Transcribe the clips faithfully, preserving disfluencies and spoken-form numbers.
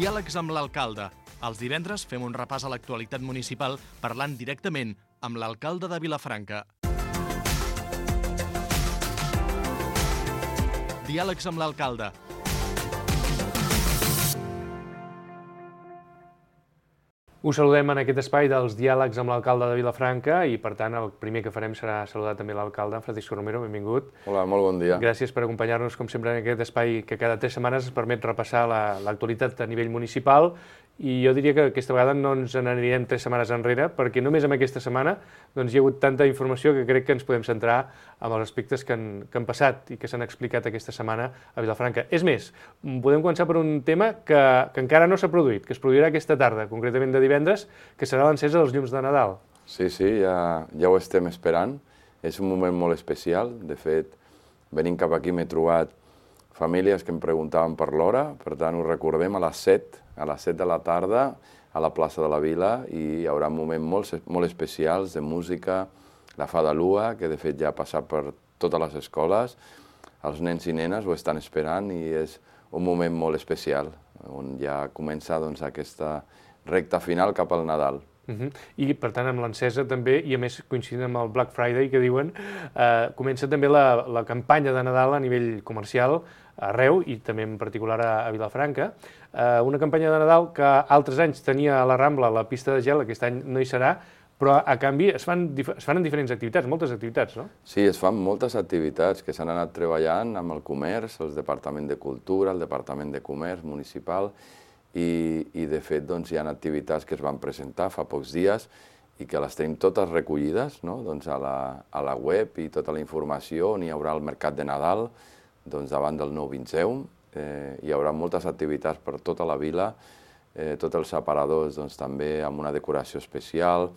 Diàlegs amb l'alcalde. Els divendres fem un repàs a l'actualitat municipal parlant directament amb l'alcalde de Vilafranca. Diàlegs amb l'alcalde. Us saludem en aquest espai dels diàlegs amb l'alcalde de Vilafranca i, per tant, el primer que farem serà saludar també l'alcalde, Francisco Romero, benvingut. Hola, molt bon dia. Gràcies per acompanyar-nos, com sempre, en aquest espai que cada tres setmanes ens permet repassar l'actualitat a nivell municipal. I jo diria que aquesta vegada no ens n'anirem tres setmanes enrere, perquè només en aquesta setmana doncs, hi ha hagut tanta informació que crec que ens podem centrar en els aspectes que han, que han passat i que s'han explicat aquesta setmana a Vilafranca. És més, podem començar per un tema que, que encara no s'ha produït, que es produirà aquesta tarda, concretament de divendres, que serà l'encesa dels llums de Nadal. Sí, sí, ja, ja ho estem esperant. És un moment molt especial. De fet, venint cap aquí m'he trobat famílies que em preguntaven per l'hora, per tant ho recordem a les set, a les set de la tarda a la plaça de la Vila, i hi haurà moments molt, molt especials de música, la Fada Lua, que de fet ja ha passat per totes les escoles, els nens i nenes ho estan esperant i és un moment molt especial, on ja comença doncs, aquesta recta final cap al Nadal. Uh-huh. I, per tant, amb l'encesa també, i a més coincidint amb el Black Friday, que diuen, eh, comença també la, la campanya de Nadal a nivell comercial arreu, i també en particular a, a Vilafranca. Eh, una campanya de Nadal que altres anys tenia a la Rambla la pista de gel, aquest any no hi serà, però a canvi es fan, es fan en diferents activitats, moltes activitats, no? Sí, es fan moltes activitats que s'han anat treballant amb el comerç, el Departament de Cultura, el Departament de Comerç municipal, i, i de fet doncs, hi ha activitats que es van presentar fa pocs dies i que les tenim totes recollides, no? doncs a, la, a la web, i tota la informació on hi haurà el mercat de Nadal doncs, davant del nou Vinceum. Eh, hi haurà moltes activitats per tota la vila, eh, tots els aparadors doncs, també amb una decoració especial,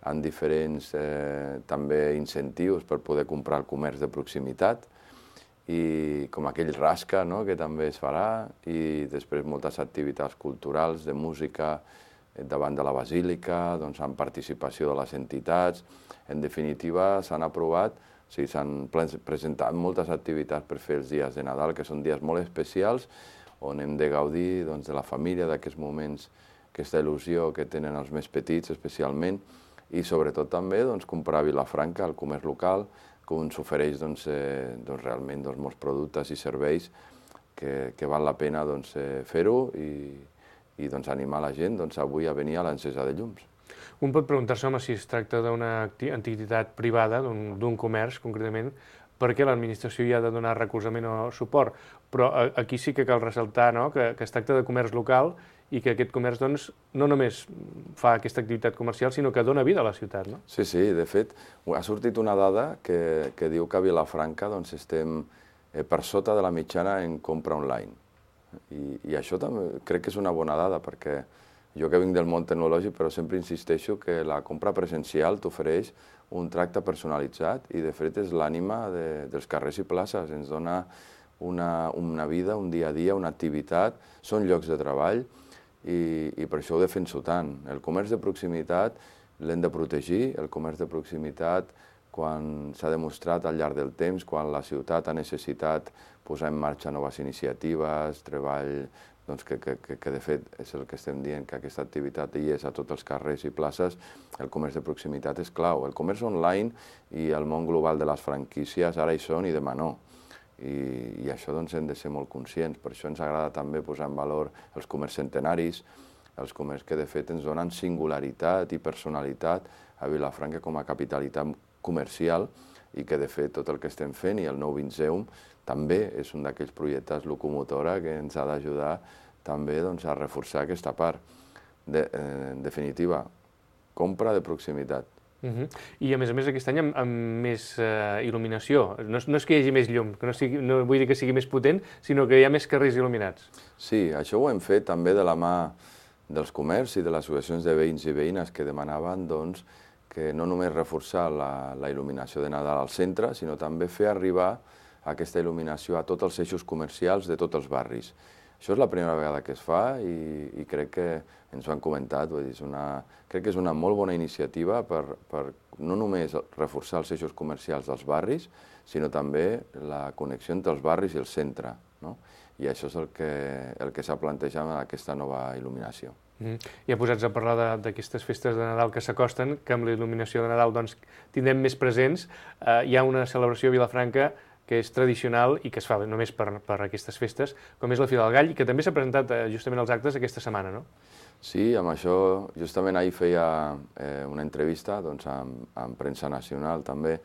amb diferents eh, també incentius per poder comprar el comerç de proximitat, i com aquell rasca, no?, que també es farà, i després moltes activitats culturals, de música, davant de la Basílica, doncs amb participació de les entitats. En definitiva, s'han aprovat, o sigui, s'han presentat moltes activitats per fer els dies de Nadal, que són dies molt especials, on hem de gaudir doncs, de la família, d'aquests moments, aquesta il·lusió que tenen els més petits, especialment, i sobretot també doncs, comprar a Vilafranca, el comerç local, que ens ofereix doncs, eh, doncs, realment doncs, molts productes i serveis que, que val la pena doncs, eh, fer-ho i, i doncs, animar la gent doncs, avui a venir a l'encesa de llums. Un pot preguntar-se home, si es tracta d'una entitat privada, d'un comerç concretament, perquè l'administració hi ha de donar recolzament o suport, però aquí sí que cal ressaltar, no?, que, que es tracta de comerç local i que aquest comerç doncs, no només fa aquesta activitat comercial, sinó que dona vida a la ciutat, no? Sí, sí, de fet, ha sortit una dada que, que diu que a Vilafranca doncs, estem eh, per sota de la mitjana en compra online. I, i això també crec que és una bona dada, perquè jo que vinc del món tecnològic, però sempre insisteixo que la compra presencial t'ofereix un tracte personalitzat i, de fet, és l'ànima de, dels carrers i places. Ens dona una, una vida, un dia a dia, una activitat, són llocs de treball, i, i per això ho defenso tant. El comerç de proximitat l'hem de protegir, el comerç de proximitat, quan s'ha demostrat al llarg del temps, quan la ciutat ha necessitat posar en marxa noves iniciatives, treball, doncs que, que, que de fet és el que estem dient, que aquesta activitat hi és a tots els carrers i places, el comerç de proximitat és clau. El comerç online i el món global de les franquícies ara hi són i demà no. I, i això doncs, hem de ser molt conscients. Per això ens agrada també posar en valor els comerç centenaris, els comerç que de fet ens donen singularitat i personalitat a Vilafranca com a capitalitat comercial, i que de fet tot el que estem fent i el nou Vinceum també és un d'aquells projectes locomotora que ens ha d'ajudar també doncs, a reforçar aquesta part. De, eh, en definitiva, compra de proximitat. Uh-huh. I a més a més aquest any amb, amb més uh, il·luminació. No, no és que hi hagi més llum, que no, sigui, no vull dir que sigui més potent, sinó que hi ha més carrers il·luminats. Sí, això ho hem fet també de la mà dels comerços i de les associacions de veïns i veïnes que demanaven doncs, que no només reforçar la, la il·luminació de Nadal al centre, sinó també fer arribar aquesta il·luminació a tots els eixos comercials de tots els barris. Això és la primera vegada que es fa i, i crec que ens ho han comentat, vull dir, és una, crec que és una molt bona iniciativa per, per no només reforçar els eixos comercials dels barris, sinó també la connexió entre els barris i el centre. no? I això és el que, el que s'ha plantejat amb aquesta nova il·luminació. Mm. Ja posats a parlar d'aquestes festes de Nadal que s'acosten, que amb la il·luminació de Nadal doncs, tindrem més presents. Eh, hi ha una celebració a Vilafranca que és tradicional i que es fa només per, per aquestes festes, com és la Fira del Gall, i que també s'ha presentat eh, justament als actes aquesta setmana, no? Sí, amb això, justament ahir feia eh, una entrevista doncs, amb, amb premsa nacional també,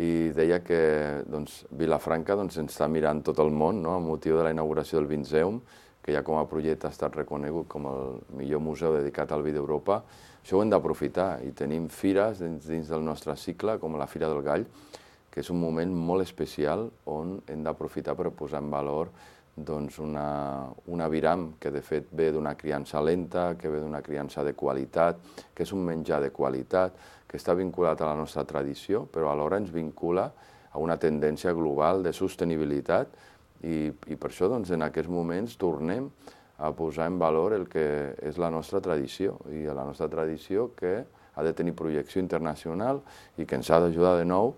i deia que doncs, Vilafranca doncs, ens està mirant tot el món, no?, amb motiu de la inauguració del Vinceum, que ja com a projecte ha estat reconegut com el millor museu dedicat al vi d'Europa. Això ho hem d'aprofitar, i tenim fires dins, dins del nostre cicle, com la Fira del Gall, que és un moment molt especial on hem d'aprofitar per posar en valor doncs, una, una aviram que de fet ve d'una criança lenta, que ve d'una criança de qualitat, que és un menjar de qualitat, que està vinculat a la nostra tradició, però alhora ens vincula a una tendència global de sostenibilitat, i, i per això doncs, en aquests moments tornem a posar en valor el que és la nostra tradició, i la nostra tradició que ha de tenir projecció internacional i que ens ha d'ajudar de nou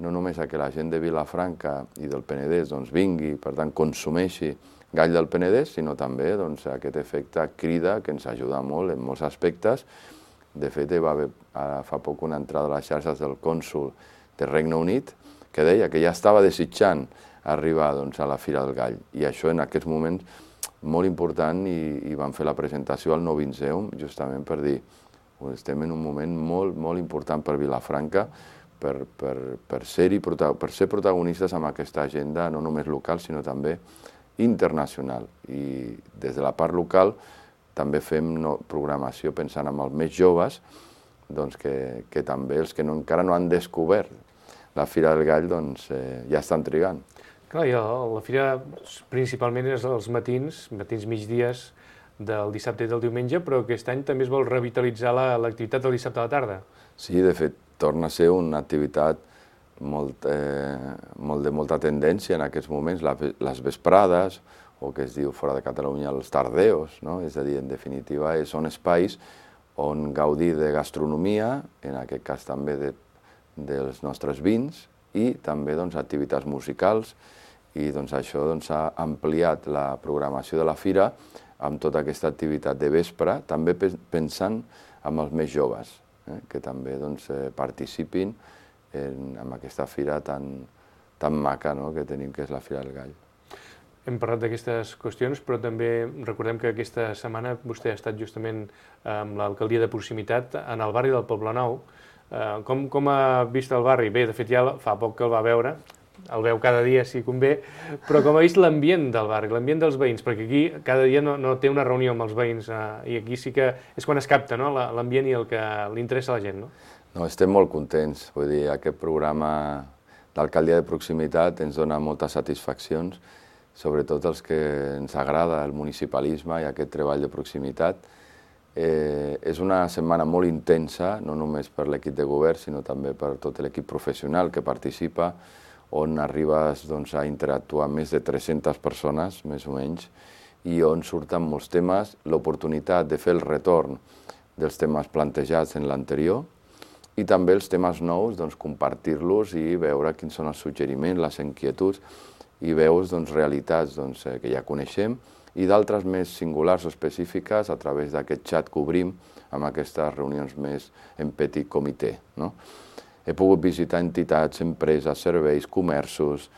no només a que la gent de Vilafranca i del Penedès doncs, vingui, per tant, consumeixi gall del Penedès, sinó també doncs, aquest efecte crida que ens ajuda molt en molts aspectes. De fet, hi va haver ara fa poc una entrada a les xarxes del cònsol del Regne Unit que deia que ja estava desitjant arribar doncs, a la Fira del Gall. I això en aquests moments molt important, i, i van fer la presentació al nou Vinceum justament per dir que estem en un moment molt, molt important per Vilafranca, per, per, per, ser-hi, per ser protagonistes amb aquesta agenda no només local, sinó també internacional. I des de la part local també fem no, programació pensant en els més joves, doncs que, que també els que no, encara no han descobert la Fira del Gall doncs, eh, ja estan trigant. Clar, i la fira principalment és els matins, matins migdies del dissabte i del diumenge, però aquest any també es vol revitalitzar l'activitat del dissabte a la tarda. Sí, de fet, torna a ser una activitat molt, eh, molt de molta tendència en aquests moments, la, les vesprades, o que es diu fora de Catalunya els tardeos, no? És a dir, en definitiva, són espais on gaudir de gastronomia, en aquest cas també de, dels nostres vins, i també doncs, activitats musicals, i doncs, això doncs, ha ampliat la programació de la fira amb tota aquesta activitat de vespre, també pensant en els més joves, eh, que també doncs, eh, participin en, en aquesta fira tan, tan maca, no?, que tenim, que és la Fira del Gall. Hem parlat d'aquestes qüestions, però també recordem que aquesta setmana vostè ha estat justament amb l'alcaldia de proximitat en el barri del Poblenou. Com, com ha vist el barri? Bé, de fet ja fa poc que el va veure, el veu cada dia si convé, però com ha vist l'ambient del barri, l'ambient dels veïns, perquè aquí cada dia no, no té una reunió amb els veïns, eh, i aquí sí que és quan es capta, no?, l'ambient i el que li interessa a la gent, no? No, estem molt contents, vull dir, aquest programa d'alcaldia de proximitat ens dona moltes satisfaccions, sobretot els que ens agrada el municipalisme i aquest treball de proximitat. Eh, és una setmana molt intensa, no només per l'equip de govern, sinó també per tot l'equip professional que participa, on arribes doncs, a interactuar amb més de tres-centes persones, més o menys, i on surten molts temes, l'oportunitat de fer el retorn dels temes plantejats en l'anterior, i també els temes nous, doncs, compartir-los i veure quins són els suggeriments, les inquietuds, i veus doncs, realitats doncs, que ja coneixem, i d'altres més singulars o específiques a través d'aquest xat que obrim amb aquestes reunions més en petit comitè, no? He pogut visitar entitats, empreses, serveis, comerços,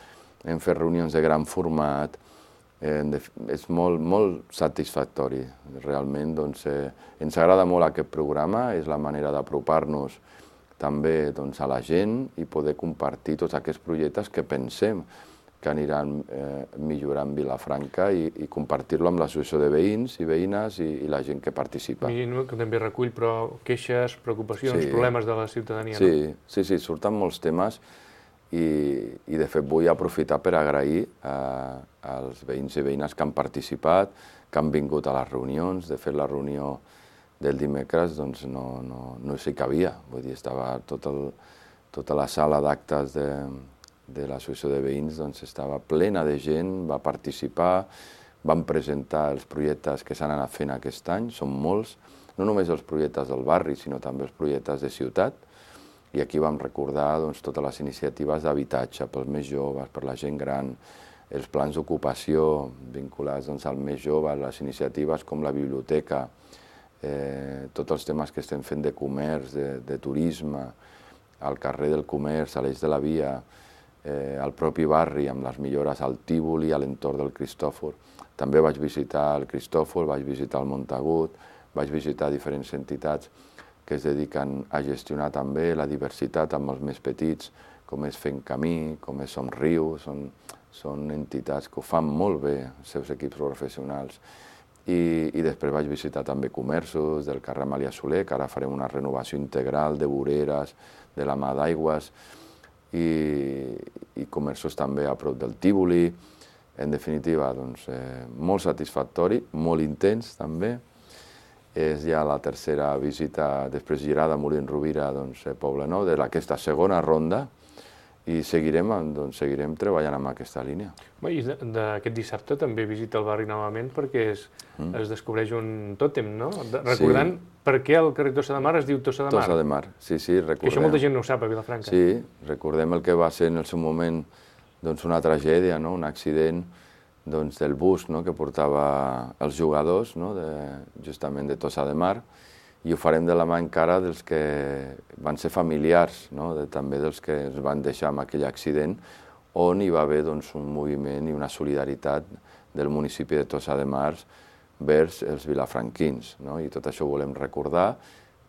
hem fet reunions de gran format, eh, és molt, molt satisfactori. Realment doncs, eh, ens agrada molt aquest programa, és la manera d'apropar-nos també doncs, a la gent i poder compartir tots aquests projectes que pensem que aniran eh, millorant Vilafranca i, i compartir-lo amb l'associació de veïns i veïnes i, i la gent que participa. Imagino que també recull però queixes, preocupacions, sí. problemes de la ciutadania. Sí, no? sí, sí, surten molts temes i, i de fet vull aprofitar per agrair a, als veïns i veïnes que han participat, que han vingut a les reunions. De fet, la reunió del dimecres doncs, no, no, no s'hi cabia, vull dir, estava tot el, tota la sala d'actes de de l'associació de veïns doncs, estava plena de gent, va participar, van presentar els projectes que s'han anat fent aquest any, són molts, no només els projectes del barri, sinó també els projectes de ciutat, i aquí vam recordar doncs, totes les iniciatives d'habitatge pels més joves, per la gent gran, els plans d'ocupació vinculats doncs, al més jove, les iniciatives com la biblioteca, eh, tots els temes que estem fent de comerç, de, de turisme, al carrer del comerç, a l'eix de la via, eh, al propi barri, amb les millores al Tívoli, a l'entorn del Cristòfor. També vaig visitar el Cristòfor, vaig visitar el Montagut, vaig visitar diferents entitats que es dediquen a gestionar també la diversitat amb els més petits, com és Fent Camí, com és Somriu, són, són entitats que ho fan molt bé, els seus equips professionals. I, i després vaig visitar també comerços del carrer Amàlia Soler, que ara farem una renovació integral de voreres, de la mà d'aigües, i, i comerços també a prop del Tívoli. En definitiva, doncs, eh, molt satisfactori, molt intens també. És ja la tercera visita, després girada a Molins Rovira, doncs, a Poblenou, d'aquesta segona ronda, i seguirem, doncs, seguirem treballant amb aquesta línia. I d'aquest dissabte també visita el barri novament perquè es, mm. es descobreix un tòtem, no? Recordant sí. per què el carrer Tossa de Mar es diu Tossa de Mar. Tossa de Mar, sí, sí, recordem. Que això molta gent no ho sap a Vilafranca. Sí, recordem el que va ser en el seu moment doncs, una tragèdia, no? Un accident doncs, del bus, no? Que portava els jugadors, no? de, justament de Tossa de Mar, i ho farem de la mà encara dels que van ser familiars, no? de, també dels que ens van deixar amb aquell accident, on hi va haver doncs, un moviment i una solidaritat del municipi de Tossa de Mar vers els vilafranquins. No? I tot això ho volem recordar,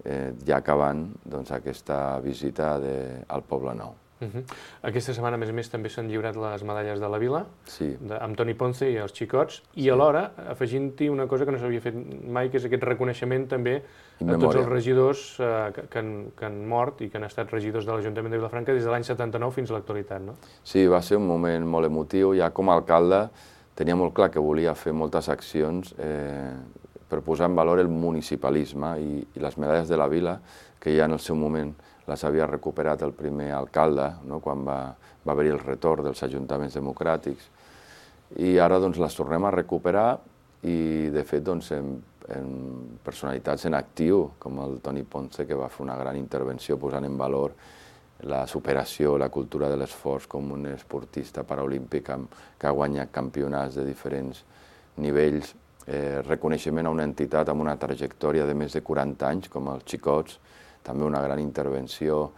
eh, ja acabant doncs, aquesta visita de, al Poblenou. Uh -huh. Aquesta setmana, a més a més, també s'han lliurat les medalles de la Vila, sí. de, amb Toni Ponce i els xicots, i sí. alhora afegint-hi una cosa que no s'havia fet mai, que és aquest reconeixement també a tots els regidors eh, que, que, han, que han mort i que han estat regidors de l'Ajuntament de Vilafranca des de l'any setanta-nou fins a l'actualitat, no? Sí, va ser un moment molt emotiu. Ja com a alcalde tenia molt clar que volia fer moltes accions eh, per posar en valor el municipalisme i, i les medalles de la Vila, que ja en el seu moment les havia recuperat el primer alcalde, no? Quan va, va haver-hi el retorn dels ajuntaments democràtics. I ara doncs, les tornem a recuperar i, de fet, doncs, en, en personalitats en actiu, com el Toni Ponce, que va fer una gran intervenció posant en valor la superació, la cultura de l'esforç com un esportista paraolímpic que ha guanyat campionats de diferents nivells, eh, reconeixement a una entitat amb una trajectòria de més de quaranta anys, com els Xicots, també una gran intervenció,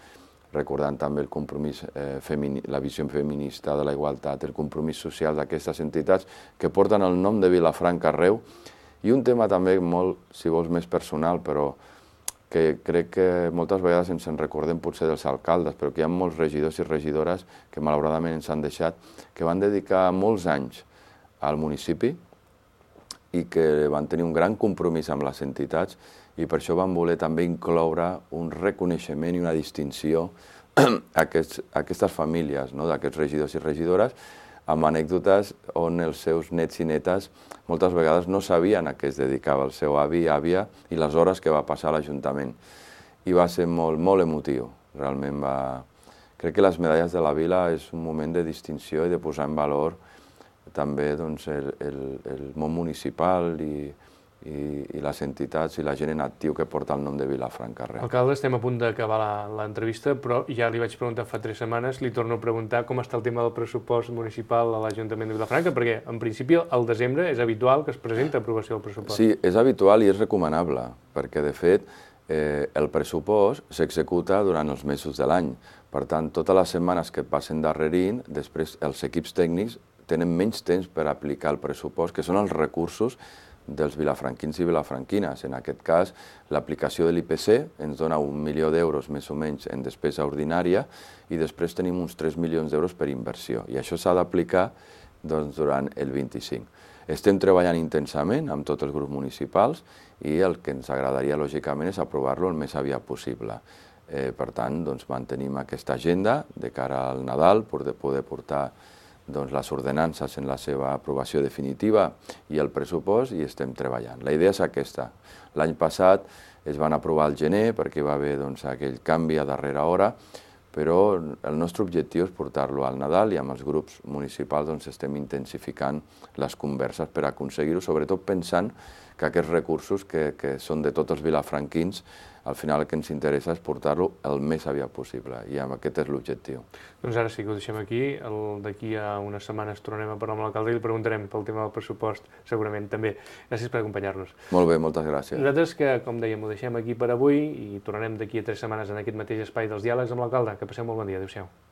recordant també el compromís, eh, la visió feminista de la igualtat, el compromís social d'aquestes entitats que porten el nom de Vilafranca arreu, i un tema també molt, si vols, més personal, però que crec que moltes vegades ens en recordem potser dels alcaldes, però que hi ha molts regidors i regidores que malauradament ens han deixat, que van dedicar molts anys al municipi i que van tenir un gran compromís amb les entitats, i per això vam voler també incloure un reconeixement i una distinció a, aquests, a aquestes famílies, no? d'aquests regidors i regidores, amb anècdotes on els seus nets i netes moltes vegades no sabien a què es dedicava el seu avi i àvia i les hores que va passar a l'Ajuntament. I va ser molt, molt emotiu, realment va... Crec que les medalles de la Vila és un moment de distinció i de posar en valor també doncs, el, el, el món municipal i I, i les entitats i la gent en actiu que porta el nom de Vilafranca arreu. Alcalde, estem a punt d'acabar l'entrevista, però ja li vaig preguntar fa tres setmanes, li torno a preguntar com està el tema del pressupost municipal a l'Ajuntament de Vilafranca, perquè en principi al desembre és habitual que es presenta aprovació del pressupost. Sí, és habitual i és recomanable, perquè de fet eh, el pressupost s'executa durant els mesos de l'any. Per tant, totes les setmanes que passen darrerint, després els equips tècnics tenen menys temps per aplicar el pressupost, que són els recursos dels vilafranquins i vilafranquines. En aquest cas, l'aplicació de l'I P C ens dona un milió d'euros més o menys en despesa ordinària i després tenim uns tres milions d'euros per inversió. I això s'ha d'aplicar doncs, durant el vint-i-cinc. Estem treballant intensament amb tots els grups municipals i el que ens agradaria, lògicament, és aprovar-lo el més aviat possible. Eh, per tant, doncs, mantenim aquesta agenda de cara al Nadal per poder portar doncs, les ordenances en la seva aprovació definitiva i el pressupost, i estem treballant. La idea és aquesta. L'any passat es van aprovar al gener perquè va haver doncs, aquell canvi a darrera hora, però el nostre objectiu és portar-lo al Nadal i amb els grups municipals doncs, estem intensificant les converses per aconseguir-ho, sobretot pensant que aquests recursos que, que són de tots els vilafranquins al final el que ens interessa és portar-lo el més aviat possible, i aquest és l'objectiu. Doncs ara sí que ho deixem aquí. D'aquí a unes setmanes tornarem a parlar amb l'alcalde i li preguntarem pel tema del pressupost, segurament també. Gràcies per acompanyar-nos. Molt bé, moltes gràcies. Nosaltres, que com dèiem, ho deixem aquí per avui i tornarem d'aquí a tres setmanes en aquest mateix espai dels diàlegs amb l'alcalde. Que passeu molt bon dia. Adéu-siau.